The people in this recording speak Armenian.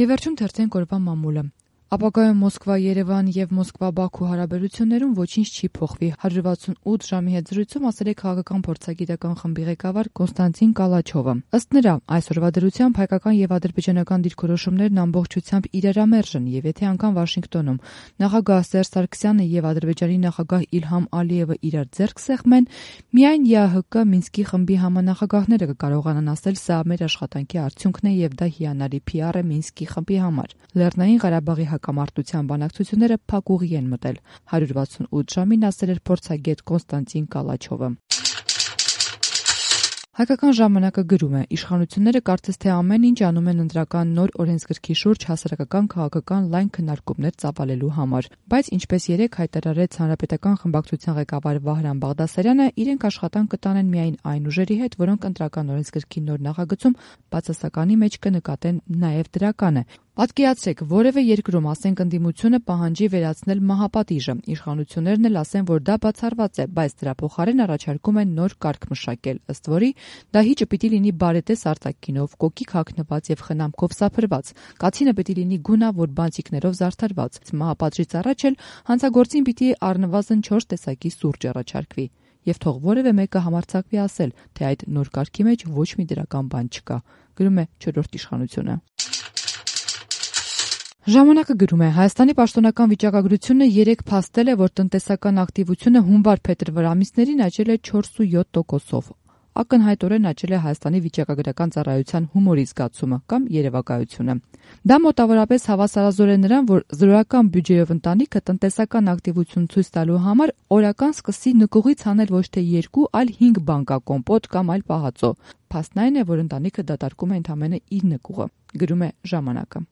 Եվ վերջում թերթենք օրվա մամուլը։ Ապագայում Մոսկվա-Երևան եւ Մոսկվա-Բաքու հարաբերություններում ոչինչ չի փոխվի։ 168 ժամի հետ զրույցում ասել է քաղաքական փորձագիտական խմբի ղեկավար Կոնստանտին Կալաչովը։ Ըստ նրա, այսօրվա դրությամբ հայկական եւ ադրբեջանական դիրքորոշումներն ամբողջությամբ իրարամերժ են եւ եթե անգամ Վաշինգտոնում նախագահ Սերժ Սարգսյանը եւ Ադրբեջանի նախագահ Իլհամ Ալիևը իրար ձեռք սեղմեն, միայն ԵԱՀԿ Մինսկի խմբի համանախագահները կկարողանան ասել սա մեր աշխատանքի արդյունքն է եւ դա հիանալի PR է Մինսկի խմբի համար։ Լեռնային Ղարաբաղի հակամարտության բանակցությունները փակուղի են մտել։ 168 ժամին ասել էր փորձագետ Կոնստանտին Կալաչովը։ Հայկական ժամանակը գրում է. իշխանությունները կարծես թե ամեն ինչ անում են ընտրական նոր օրենսգրքի շուրջ հասարակական քաղաքական լայն քննարկումներ ծավալելու համար, բայց ինչպես երեկ հայտարարեց Հանրապետական խմբակցության ղեկավար Վահրամ Բաղդասարյանը, իրենք աշխատանք կտանեն միայն այն ուժերի հետ, որոնք ընտրական օրենսգրքի նոր նախագծում բացասականի մեջ կնկատեն նաև դրականը։ Պատկերացրեք, որևէ երկրում, ասենք ընդդիմությունը պահանջի վերացնել մահապատիժը, իշխանություններն էլ ասեն, որ դա բացառված է, բայց դրա փոխարեն առաջարկում են նոր կարգ մշակել, ըստ որի դահիճը պիտի լինի բարետես արտաքինով, կոկիկ հագնված եւ խնամքով սափրված, կացինը պիտի լինի գունավոր բանտիկներով զարդարված, մահապատժից առաջ էլ հանցագործին պիտի առնվազն 4 տեսակի սուրճ առաջարկվի։ Եվ թող որևէ մեկը համարձակվի ասել, թե այդ նոր կարգի մեջ ոչ մի դրական բան չկա, գրում է 4-րդ իշխանությունը։ Ժամանակը գրում է. Հայաստանի պաշտոնական վիճակագրությունը երեկ փաստել է, որ տնտեսական ակտիվությունը հունվար-փետրվար ամիսներին աճել է 4.7%-ով։ Ակնհայտորեն աճել է Հայաստանի վիճակագրական ծառայության հումորի զգացումը կամ երևակայությունը։ Դա մոտավորապես հավասարազոր է նրան, որ զրոյական բյուջեով ընտանիքը տնտեսական ակտիվություն ցույց տալու համար օրական սկսի նկուղից անել ոչ թե 2, այլ 5 բանկակոմպոտ կամ այլ պահածո։ Փաստն այն է, որ ընտանիքը դատարկում է ընդամենը իր նկուղը, գրում է ժամանակը։